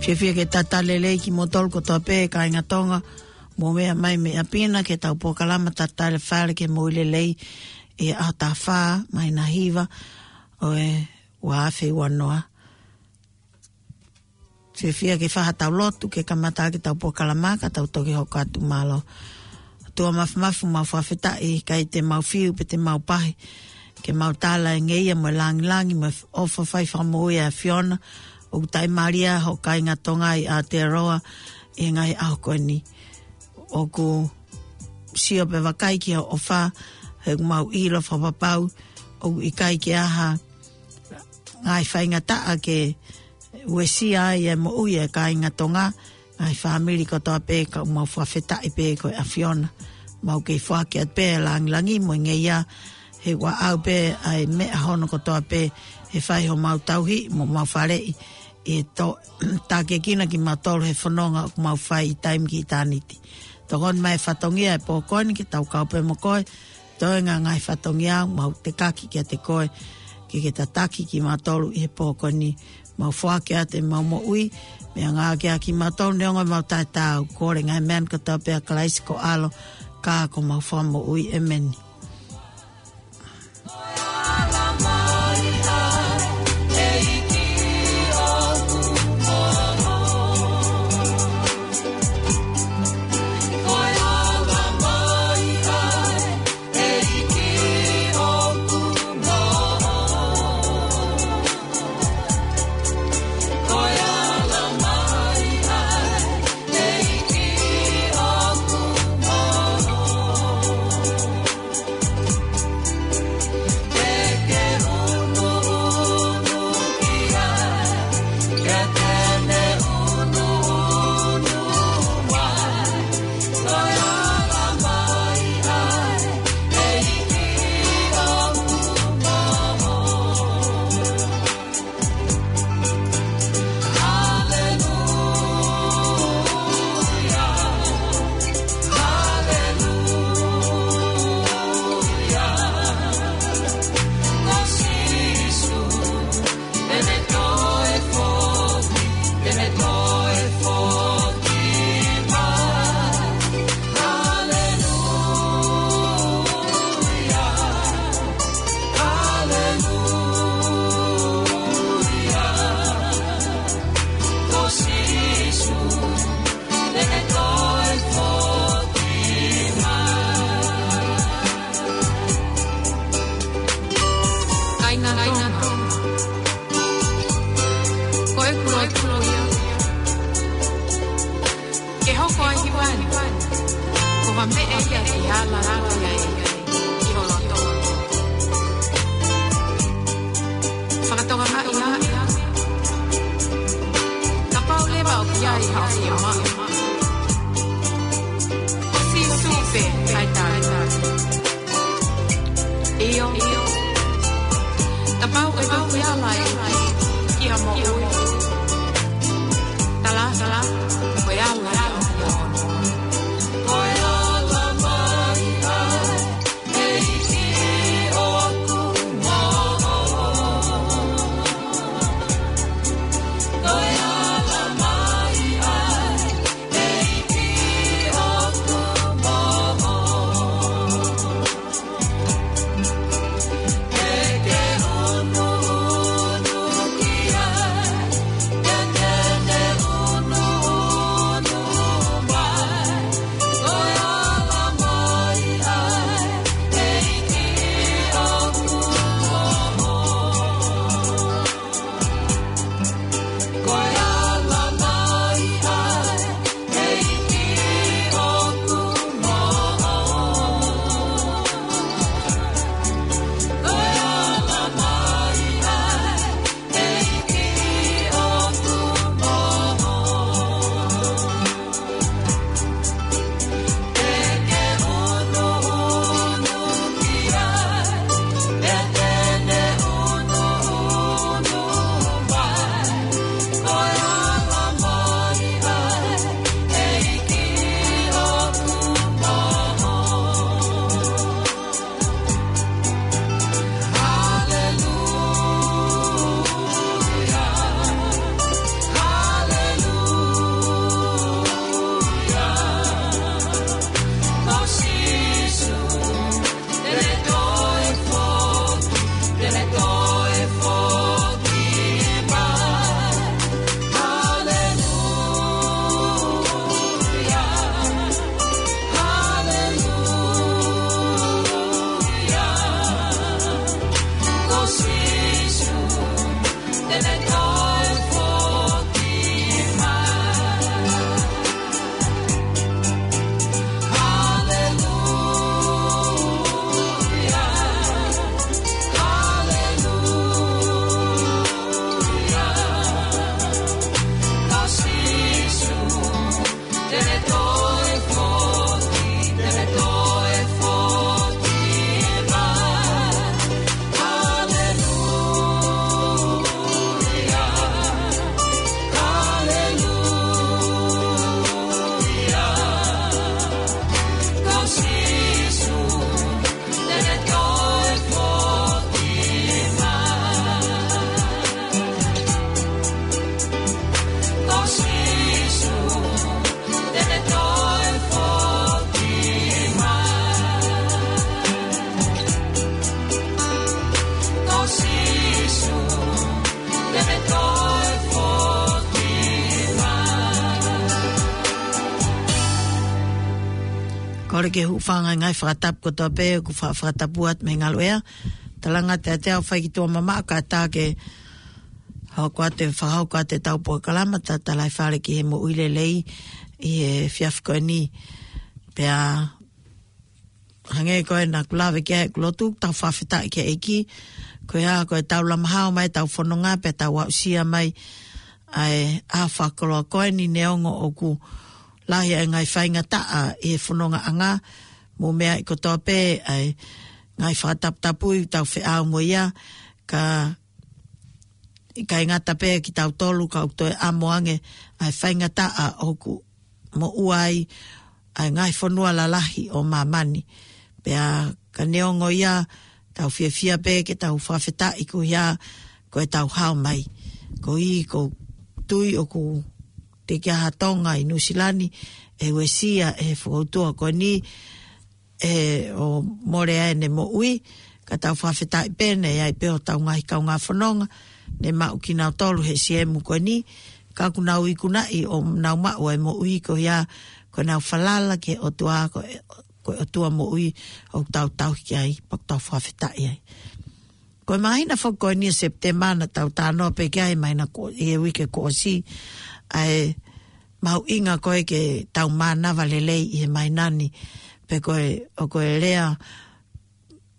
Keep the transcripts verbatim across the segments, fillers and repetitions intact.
Fiefia ke talitali lelei kimoutolu kotoa pē kāinga Tonga, mou meʻa mai mei ʻapi na ki heʻetau polokalama Talitali Fale ki he Moʻui Lelei, ʻi he ʻaho taha fā, māhina hiva ʻo e ua afe ua noa. Fiefia ke fai haʻatau lotu ke kamata ʻaki ʻetau polokalama ka tau toki hoko atu. Mālō. ʻOtua Māfimafi, mau fakafetaʻi, ʻikai te mau fiu pe te mau pahi ke mau tala e ngeia mo e langilangi mo e ʻofa fai fakamoʻui ʻa e ʻAfiona. ʻOku taʻimālie hoʻo kāinga Tonga ʻi Aotearoa ʻi he ngaahi ʻaho ko eni. ʻOku sio pē vakai ki hoʻo ʻofa, he ʻoku mau ʻilo fakapapau ʻoku ʻikai ke ʻi ai ha ngaahi faingataʻa ke uesia ai e moʻui e kāinga Tonga, ngaahi fāmili kotoa pē, ka ʻoku mau fakafetaʻi pē ko e ʻAfiona. Mau kei foaki atu pē e langilangi mo e ngeia, he ʻoku ʻaʻau pē ʻa e meʻa hono kotoa pē, he fai homau tauhi mo mau faleʻi ʻi he to-, tākiekina kimautolu he fononga ʻoku mau fai ʻi taimi ki ʻitāniti. Tokoni mai e fatongia e pō ko eni ke tau kau pē mo koe, toenga ngaahi fatongia, mau tekaki kiate koe ke ke tataki kimautolu ʻi he pō ko eni. Mau foaki atu ʻemau moʻui, meʻangāueʻaki kimautolu neongo ʻemau taʻetaau, kole ngaahi meʻa ni kotoa pē ʻia Kalaisi ko ho ʻAlo, ka ko homau Fakamoʻui. ʻEmeni. Kāinga Tonga, ko ʻeku lotu ia ke hoko ʻa e hiva ni ko ha meʻa ia ke ala atu ai ki ho loto. Fakatokangaʻi ā, kapau leva ʻoku ʻi ai haʻo fiemaʻu, ko Sīsū pē ʻa e tali. ʻIo. Kapau ʻe toki ala ai ki ha moʻui, tala, tala, ko e ala ia. Kole ke u hūfanga he ngaahi fakatapu kotoa pē ʻoku fa-, fakatapu atu mei he ngaluʻea. Talanga te te au fai ki tuʻa mamaʻo kae ʻatā ke hoko atu e fakahoko atu ʻetau polokalama Tatalaifale ki he Moʻui Lelei ʻi he efiafi ko eni. Pea hangē ko ē naʻa ku lave ki ai ʻeku lotu, tau fakafetaʻi ki he ʻEiki. Ko ia, ko ʻetau lama hao mai ʻetau fononga pea tau aʻusia mai ʻa e ʻaho fakakoloa ko eni neongo ʻoku lahi ʻa e ngaahi faingataʻa ʻi he fonongaʻanga, mo e meʻa ʻi kotoa pē ʻa e ngaahi fakataputapui ʻoku tau feʻao mo ia, ka ʻikai ngata pē kitautolu ka ʻoku toe ʻamo ange ʻa e faingataʻa ʻoku moʻua ai ʻa e ngaahi fonua lalahi ʻo māmani. Pea ka neongo ia, tau fiefia pē ke tau fakafetaʻi ko ia ko ʻetau hao mai. Ko ia ʻoku ou tui ʻoku teʻeki ai ha Tonga ʻi Nuʻusila ni ʻe uesia ʻe he fokoutua ko eni, ʻe ʻo mole ai ʻene moʻui, ka tau fakafetaʻi pē naʻe ʻi ai pē hotau ngaahi kaungā fononga, ne maʻu kinautolu he siemu ko eni, ka ʻoku nau ikunaʻi ʻo nau maʻu ʻa e moʻui ko ia, ko ʻenau falala ki he ʻOtua, ko e, ko e ʻOtua moʻui ʻoku tau tauhi ki ai, pea ʻoku tau fakafetaʻi ai. Ko e māhina foki ko eni ʻo Sepitema naʻa tau talanoa pē ki ai he māhina ko, ʻi he uike kuo ʻosi, ʻa e mahuʻinga ko ē ke tau mānava lelei ʻi he māhina ni, pe ko e, ʻoku lea,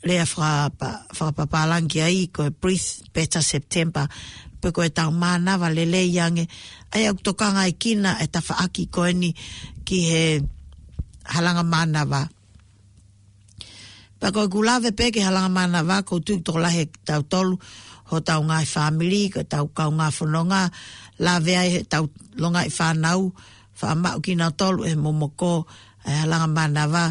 lea fakapa-, fakapapālangi ai ko e Breathe Better September, pe ko ʻetau mānava lelei ange, ʻa ia ʻoku tokangaekina e tafaʻaki ko eni ki he halanga mānava. Pea ko ʻeku lave pē ki he halanga mānava, ʻoku ou tui ʻoku tokolahi ʻia kitautolu, hotau ngaahi fāmili, ko ʻetau kaungā fononga, lave ai heʻetau longaʻi fānau, faʻa maʻu kinautolu ʻe he momoko ʻa e halanga mānava,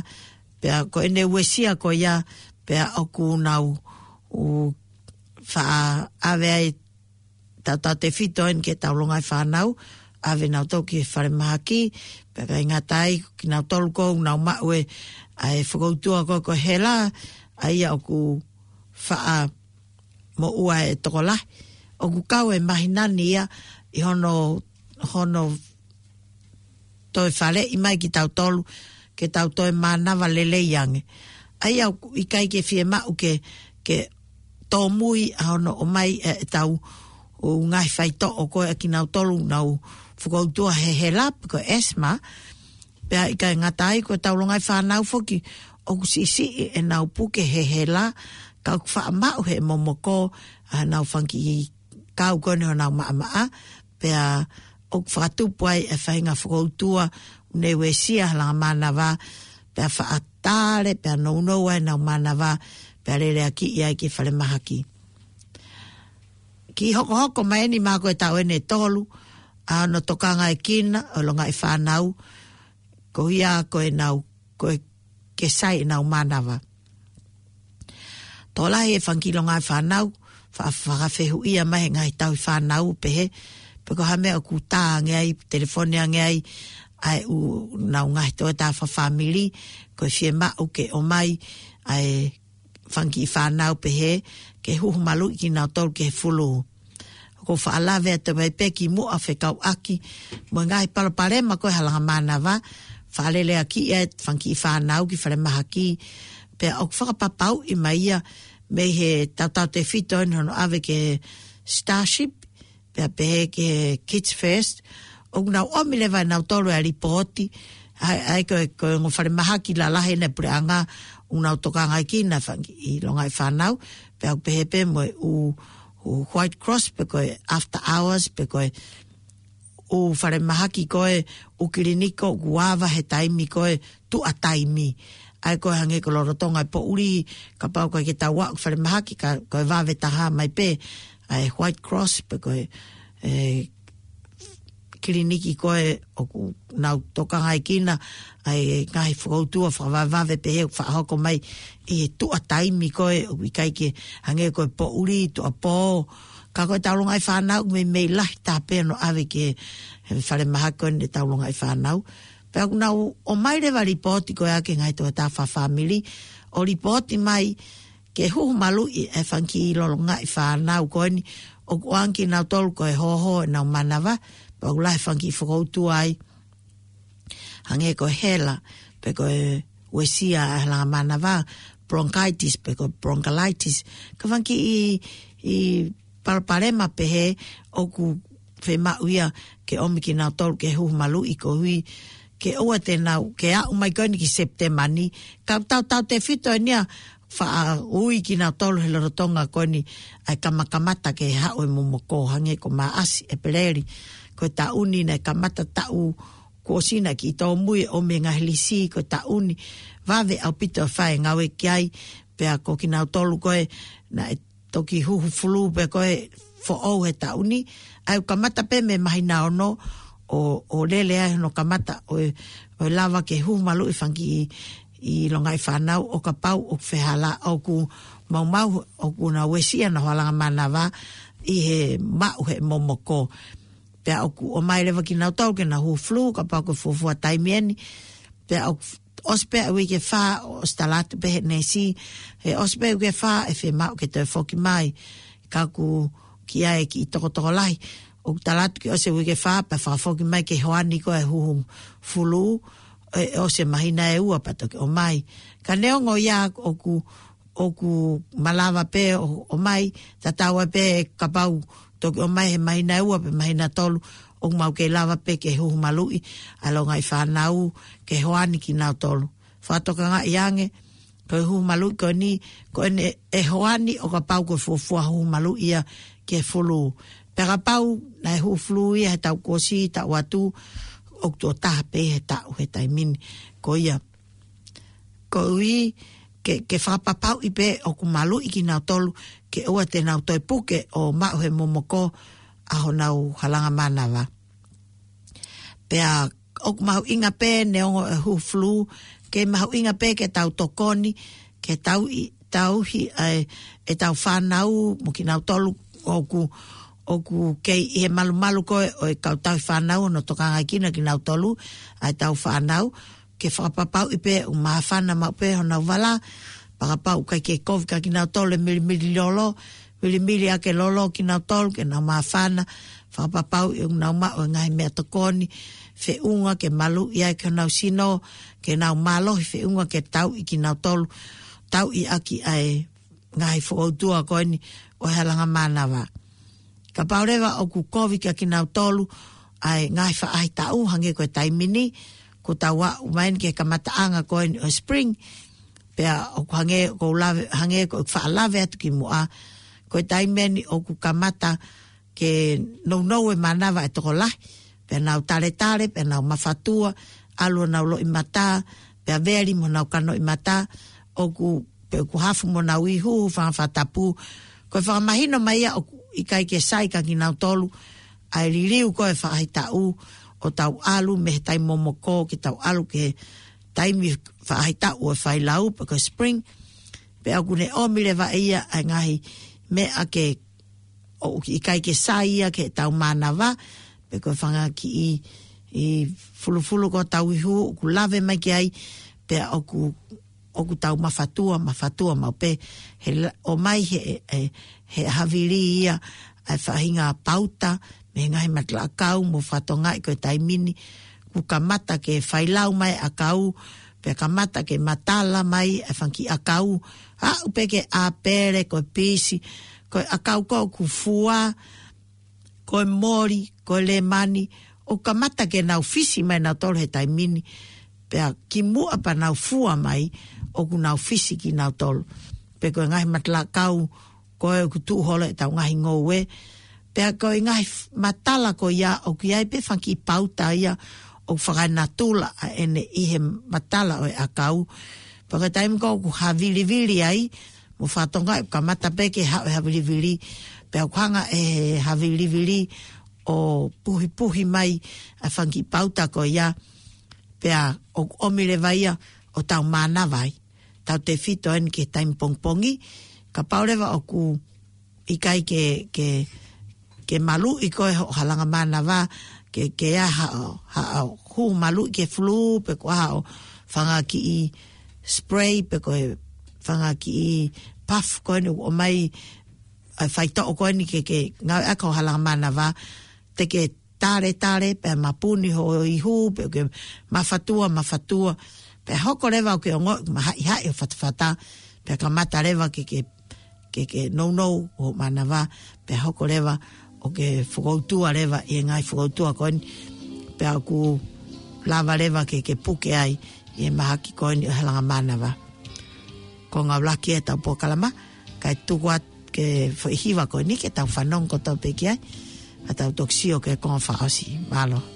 pea ko ʻene uesia ko ia, pea ʻoku nau, ʻū, faʻa ʻave ai tautautefito eni ki heʻetau longaʻi fānau, ʻave nautolu ki he falemahaki, pea ʻikai ngata ai, kinautolu ʻoku nau maʻu ʻa e fokoutua ko ē ko e hela, ʻa ia ʻoku faʻa moʻua ʻe he tokolahi. ʻOku kau e māhina ni ia ʻi hono, hono toe faleʻi mai kitautolu, ke tau toe mānava lelei ange. ʻA ia ʻoku ʻikai ke fiemaʻu ke, ke tōmui ʻa hono ʻomai ʻe, ʻetau ʻū ngaahi faitoʻo ko ē ʻa kinautolu ʻoku nau fokoutua he hela pe ko e asthma, pea ʻikai ngata ai ko ʻetau longaʻi fānau foki ʻoku siʻisiʻi ʻenau puke he hela, ka ʻoku faʻa maʻu he momoko ʻa ʻenau fanga kiʻi kau ko eni honau maʻamaʻa, pea ʻoku fakatupu ai e faʻahinga fokoutua ʻoku ne uesia halanga mānava, pea faʻa tale, pea nounou ai ʻenau mānava, pea leleakiʻi ai ki falemahaki. Kiʻi hokohoko mai eni, mahalo ko e taʻu eni ʻe tolu ʻa hono tokangaekina ʻo e longaʻi fānau, ko ia ko ʻenau, ko e ke sai ʻenau mānava. Tokolahi e fanga kiʻi longaʻi fānau, fa-, fakafehuʻia mai he ngaahi tauhi fānau pehē, pe ko ha meʻa ʻoku tā ange ai, telefoni ange ai ʻa e ʻū, ʻenau ngaahi tokotaha fakafāmili, ko e fiemaʻu ke ʻomai ʻa e fanga kiʻi fānau pehē, ke huhu maluʻi kinautolu ki he fulū. ʻOku ou faʻa lave atu mai pē kimuʻa fekauʻaki mo e ngaahi palopalema ko ē halanga mānava, faʻa leleakiʻi ʻa e fanga kiʻi fānau ki falemahaki, pea ʻoku fakapapauʻi mai ia mei he tautautefito eni hono ʻave ki he Starship, pea pehē ki he Kids First, ʻoku nau ʻomi leva ʻe nautolu ʻa e lipooti, ʻa e, ʻa e ko e, ko e ongo falemahaki lalahi ʻa e puleʻanga ʻoku nau tokangaekina e fanga kiʻi longaʻi fānau, pea ʻoku pehē pē mo e ʻū, ʻū White Cross, pe ko e after hours, pe ko e ʻū falemahaki ko ē, ʻū kiliniki ʻoku ava he taimi ko ē tuʻa taimi. ʻA ia ko e hangē ko e lolotonga e poʻuli, kapau ʻoku ʻikai ke tau aʻu ki falemahaki ka ko e vave taha mai pē ʻa e White Cross pe ko e, e, kiliniki ko ē ʻoku nau tokangaekina ʻa e ngaahi fokoutua fakavavevave pehē ʻoku faʻa hoko mai ʻi he tuʻa taimi ko ē ʻoku ʻikai ke hangē ko e poʻuli, tuʻa pō. Ka ko ʻetau longaʻi fānau ʻoku meimei lahi taha pē hono ʻave ki he falemahaki ko eni ʻetau longaʻi fānau. Pea ʻoku nau ʻomai leva lipooti ko ē ʻa e ngaahi tokotaha fakafāmili ʻo lipooti mai ke huhu maluʻi e fanga kiʻi longaʻi fānau ko eni ʻoku ʻoange kinautolu ko e hōhō ʻenau mānava, pea ʻoku lahi e fanga kiʻi fokoutua ai. Hangē ko e hela, pe ko e uesia ʻa e halanga mānava, bronchitis pe ko e bronchiolitis. Ka fanga kiʻi palopalema pehē ʻoku fiemaʻu ia ke ʻomi kinautolu ke huhu maluʻi koeʻuhi ke ʻoua te nau, ke aʻu mai ko eni ki Sepitema ni, ka tau tautefito eni ia faʻa ui kinautolu he lolotonga ko eni ʻa e kamakamata ke haʻu e momoko, hangē ko Maʻasi, ʻEpeleli, ko e taʻu ni naʻe kamata taʻu kuo ʻosi naʻe kiʻi tōmui ʻo mei he ngaahi lisi ko e taʻu ni, vave ʻaupito ʻa e fai e ngāue ki ai, pea ko kinautolu ko ē naʻe toki huhu fulū pē ko ē foʻou he taʻu ni, ʻa ia ʻoku kamata pē mei he māhina ono ʻo, ʻo lele ai hono kamata ʻo e, ʻo e lava ke huhu maluʻi fanga kiʻi longaʻi fānau ʻo kapau ʻoku fehālaaki ʻoku maumau ʻoku nau uesia honau halanga mānava ʻi he maʻu he momoko. Pea ʻoku ʻomai leva kinautolu ke nau huhu fulū kapau ko e fuofua taimi eni. Pea ʻoku ʻosi pē ʻa e uike fā ʻosi tala atu pē he neesi, he ʻosi pē uike fā ʻe fiemaʻu ke toe foki mai. Ka ʻoku ʻi ai e kiʻi tokotokolahi, ʻoku tala atu ke ʻosi e uike fā pea fakafoki mai ke hoani ko ē huhu fulū, ʻe, ʻosi e māhina ʻe ua pea toki ʻomai. Ka neongo ia ʻoku ʻoku malava pē ʻo, ʻomai, tatau ai pē kapau toki ʻomai he māhina ʻe ua pe māhina ʻe tolu, ʻoku mau kei lava pē ke huhu maluʻi ʻa e longaʻi fānau ke hoani kinautolu. Fakatokangaʻi ange, ko e huhu maluʻi ko eni, ko eni ʻe hoani ʻo kapau ko e fuofua huhu maluʻi ia ke fulū. Pea kapau naʻe huhu fulū ia he taʻu kuo ʻosi, taʻu atu, ʻoku tuʻo taha pē he taʻu he taimi ni. Ko ia, koeʻuhi ke, ke fakapapauʻi pē ʻoku maluʻi kinautolu ke ʻoua te nau toe puke ʻo maʻu he momoko ʻa honau halanga mānava. Pea ʻoku mahuʻinga pē neongo e huhu fulū, kei mahuʻinga pē ke tau tokoni, ke tauhi, tauhi ʻa e, ʻetau fānau mo kinautolu ʻoku, ʻoku kei ʻi he malumalu ko ē ʻo e kau tauhi fānau hono tokangaʻi kinautolu ʻa ʻetau fānau, ke fakapapauʻi pē ʻoku māfana maʻu pē honau vala, pea kapau ʻoku ʻikai ke kovi kia kinautolu e milimili lolo, milimili ʻaki e lolo kinautolu ke nau māfana, fakapapauʻi ʻoku nau maʻu e ngaahi meʻatokoni feʻunga ke maluʻi ai ki honau sino, ke nau mālohi feʻunga ke tauʻi kinautolu, tauʻi ʻaki ʻa e ngaahi fokoutua ko eni ʻo e halanga mānava. Kapau leva ʻoku kovi kia kinautolu ʻa e ngaahi faʻahitaʻu hangē ko e taimi ni, kuo tau aʻu mai eni ki he kamataʻanga ko eni ʻo e spring, pea ʻoku hangē ko e lave, hangē ko e faʻa lave atu ki muʻa, ko e taimi eni ʻoku kamata ke nounou e mānava e tokolahi, pea nau taletale, pea nau mafatua, ʻalu honau loʻimata, pea veli mo honau kanoʻimata, ʻoku, pe ʻoku hafu mo honau ihu, fanga fakatapu. Ko e fakamahino mai ia ʻoku ʻikai ke sai kia kinautolu ʻa e liliu ko ē faʻahitaʻu ʻo tau ʻalu mei he taimi momoko ke tau ʻalu ki he taimi faʻahitaʻu ʻo e failau pe ko e spring. Pea ʻoku ne ʻomi leva ia ʻa e ngaahi meʻa ke ʻoku ʻikai ke sai ia ki heʻetau mānava, pe ko e fanga kiʻi, ʻi fulufulu ko ē ʻetau ihu, ʻoku lave mai ki ai, pea ʻoku, ʻoku tau mafatua, mafatua maʻu pē, he la-, ʻomai he, he, he havili ia, ʻa e faʻahinga pauta, mei he ngaahi matalaʻakau, mo fakatokangaʻi ko e taimi ni, kuo kamata ke failau mai ʻakau, pea kamata ke matala mai ʻa e fanga kiʻi ʻakau, aʻu pē ki he ʻāpele, ko e pisi, ko e ʻakau ko ē ʻoku fua, ko e moli, ko e lemani, ʻoku kamata ke nau fisi mai nautolu he taimi ni, pea kimuʻa pea nau fua mai, ʻoku nau fisi kinautolu. Pe ko e ngaahi matalaʻakau, ko ē ʻoku tuʻu holo ʻetau ngaahi ngoue. Pea ko e ngaahi f-, matala ko ia ʻoku ʻi ai pē fanga kiʻi pauta ia ʻoku fakaenatula ʻa ʻene ʻi he matala ʻo e ʻakau. Pea ko e taimi ko ē ʻoku havilivili ai, mo fakatokangaʻi ʻoku kamata pē ke haʻu e havilivili, pea ʻoku hanga ʻe he havilivili ʻo puhipuhi mai ʻa e fanga kiʻi pauta ko ia, pea ʻoku ʻomi leva ia ʻo tau mānava ai. Tautefito eni ki he taimi pongipongi, kapau leva ʻoku ʻikai ke, ke, ke maluʻi ko ē hoʻo halanga mānava, ke, ke ʻi ai haʻo, haʻo huhu maluʻi ke fulū, pe ko haʻo fanga kiʻi spray, pe ko e fanga kiʻi puff ko eni ʻoku ʻomai ʻa e faitoʻo ko eni ke, ke ngāueʻaki hoʻo halanga mānava, te ke taletale, pea mapuni hoʻo ihu, pe ke mafatua, mafatua, Pea hoko leva ʻo ke ongoʻi mahaʻihaʻi hoʻo fatafata, pea kamata leva ke ke ke ke nounou hoʻo mānava, pea hoko leva ʻo ke fokoutua leva ʻi he ngaahi fokoutua ko eni, pea ʻoku lava leva ke ke puke ai ʻi he mahaki ko eni ʻo e halanga mānava. Ko e ngāue lahi ʻetau polokalama, kae tuku atu ki he foʻi hiva ko eni ke tau fanongo kotoa pē ki ai, ʻa tau toki sio ki he konga fakaʻosi. Mālō.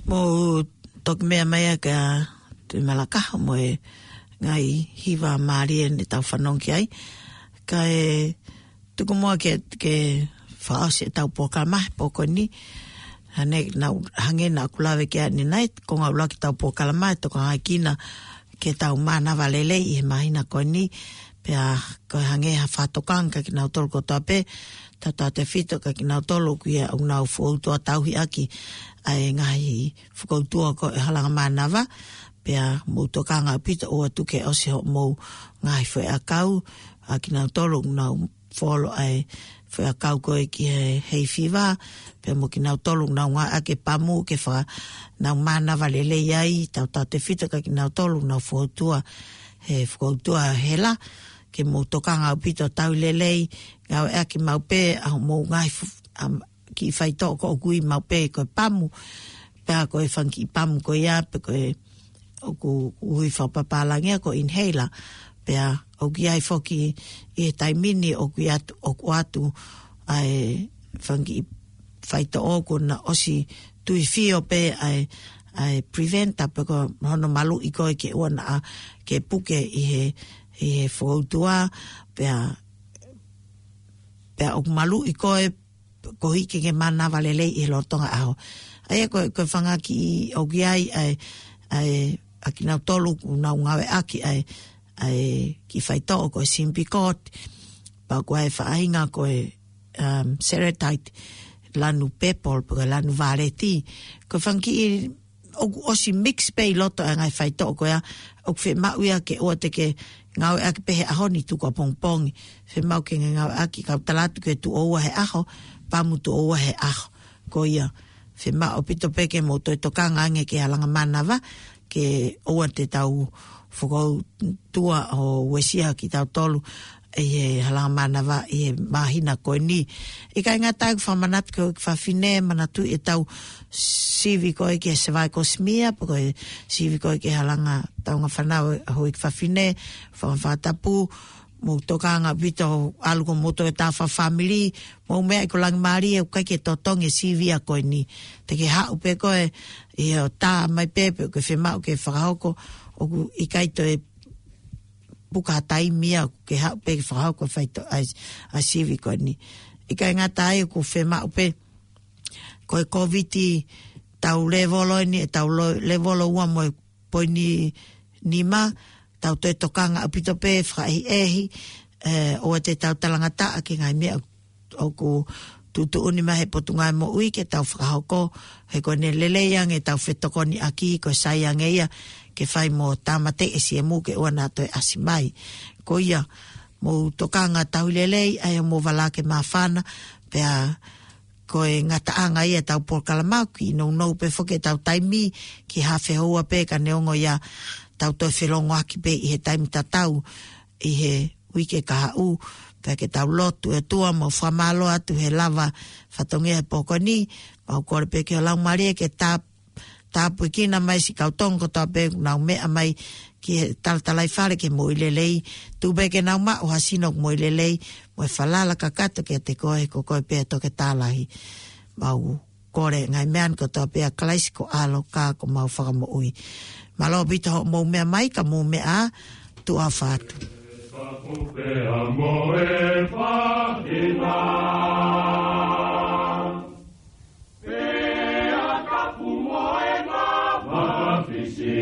Mou toki meʻa mai ā kia Tuʻi Malakaho mo e ngaahi hiva mālie ne tau fanongo ki ai. Kae tuku muʻa ke, ke fakaʻosi ʻetau polokalama he pō ko eni. Hangē naʻa, hangē naʻa ku lave ki ai ʻanenai, ko e ngaahi ʻuluaki ʻetau polokalama, ʻe tokangaekina ke tau mānava lelei ʻi he māhina ko eni, pea ko e hangē ha fakatokanga kia kinautolu kotoa pē, tautautefito kia kinautolu ʻoku ʻi ai ʻenau fokoutua tauhi ʻaki ʻa e ngaahi fokoutua ko e halanga mānava, pea mou tokanga ʻaupito ʻoua atu ke ʻosi hoʻomou ngaahi foʻiʻakau, ʻa kinautolu ʻoku nau folo ʻa e foʻiʻakau ko ē ki he hay fever, pea mo kinautolu ʻoku nau ngāueʻaki e pamu ke fakanau mānava lelei ai, tautautefito kia kinautolu ʻoku nau fokoutua he fokoutua hela, ke mou tokanga ʻaupito tauhi lelei, ngāueʻaki maʻu pē ʻa hoʻomou ngaahi fu-, am, kiʻi faitoʻo ko ē ʻoku ui maʻu pē ko e pamu, pea ko e fanga kiʻi pamu ko ia, pe ko e ʻoku ui fakapapālangi ia ko e inhaler, pea ʻoku ʻi ai foki ʻi he taimi ni ʻoku ʻi atu, ʻoku ʻoatu ʻa e fanga kiʻi faitoʻo kuo na ʻosi tuifio pē ʻa e, ʻa e preventer pe ko hono maluʻi ko ē ke ʻoua naʻa ke puke ʻi he, ʻi he fokoutua, pea, pea ʻoku maluʻi ko ē koeʻuhi ke ke mānava lelei ʻi he lolotonga ʻaho. ʻA ia ko e, ko e fanga kiʻi ʻoku ʻi ai ʻa e, ʻa e, ʻa kinautolu ʻoku nau ngāueʻaki ʻa e, ʻa e kiʻi faitoʻo ko e Symbicort, pea ko e faʻahinga ko e, um, Seretide, lanu purple, pe ko e lanu vāleti. Ko e fanga kiʻi ʻoku ʻosi mix pē ʻi loto ʻa e ngaahi faitoʻo ko ia, ʻoku fiemaʻu ia ke ʻoua te ke ngāueʻaki pē he ʻaho ni, tuku ʻapongipongi. Fiemaʻu ke ngāueʻaki, kau tala atu ke tuʻo ua he ʻaho, pamu tuʻo ua he ʻaho. Ko ia, fiemaʻu ʻaupito pē ke mou toe tokanga ange ki he halanga mānava, ke ʻoua te tau fokoutua ʻo uesia kitautolu ʻi he halanga mānava ʻi he māhina ko eni. ʻIkai ngata ai, ʻoku ou fakamanatu ki he houʻeiki fafine, manatuʻi ʻetau sivi ko ē ki he cervical smear, pe ko e sivi ko ē ki he halanga taunga fānau ʻa e houʻeiki fafine, fanga fakatapu, mou tokanga ʻaupito ʻalu ko moutolu e tā fakafāmili, mou meʻa ʻi ko langi mālie, ʻoku ʻikai ke totongi e sivi ia ko eni. Te ke haʻu pē ko ē ʻi hoʻo tā mai pē, pe ʻoku ke fiemaʻu ke fakahoko, ʻoku ʻikai toe puka ha taimi ia ke haʻu pē ke fakahoko e faitoʻo ʻa e, ʻa e sivi ko eni. ʻIkai ngata ai, ʻoku fiemaʻu pē, ko e Kōviti tau lēvolo eni, ʻetau lo-, lēvolo ua mo e poini nima, tau toe tokanga ʻaupito pē fakaʻehiʻehi, ē, ʻoua te tau talangataʻa ki he ngaahi meʻa ʻoku tuʻutuʻuni mai he Potungāue Moʻui ke tau fakahoko, he ko ʻene lelei ange ʻetau fetokoniʻaki, ko e sai ange ia ke fai mo tāmateʻi e siemu ke ʻoua naʻa toe ʻasi mai. Ko ia, mou tokanga tauhi lelei, ʻai hoʻomou vala ke māfana, pea ko e ngataʻanga ia ʻetau polokalama, kiʻi nounou pē foki ʻetau taimi ki he haafe houa pē, ka neongo ia tau toe felongoaki pē ʻi he taimi tatau ʻi he uike kahaʻu, pea ke tau lotu ʻe ʻOtua mo fakamālō atu he lava fatongia he pō ko eni, mau kole pē ki ho Laumālie ke tā-, tāpuekina mai siʻi kau Tonga kotoa pē ʻoku nau meʻa mai ki he talatalaifale ke moʻui lelei, tuku pē ke nau maʻu ha sino moʻui lelei, mo e falala kakato kiate koe, ko koe pē ʻa e Toketā Lahi. Mau kole ngaahi meʻa ni kotoa pē ʻia Kalaisi ko e ʻAlo ka ko homau Fakamoʻui. Mālō ʻaupito hoʻomou meʻa mai, ka mou meʻa ā, tuʻa ʻofa atu. Pea tapu mo e mafisi,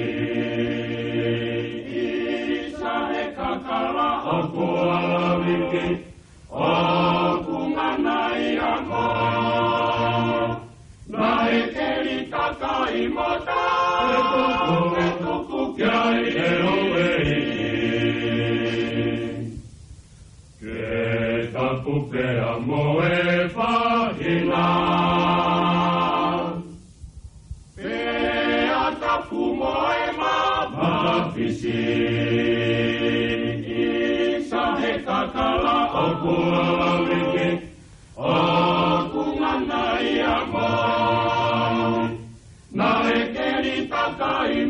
ʻisa he kakala ʻoku ʻalaviki, ʻoku ngana ia mo. Naʻe keli kakai mo tā, ʻe tuku, ʻe tuku ki ai ʻe ʻOueiki. Ke tapu pea mo e fāhina. Pea tapu mo e mafisi, ʻisa he kakala ʻoku ʻalaviki, ʻoku ngana ia mo. Naʻe keli kakai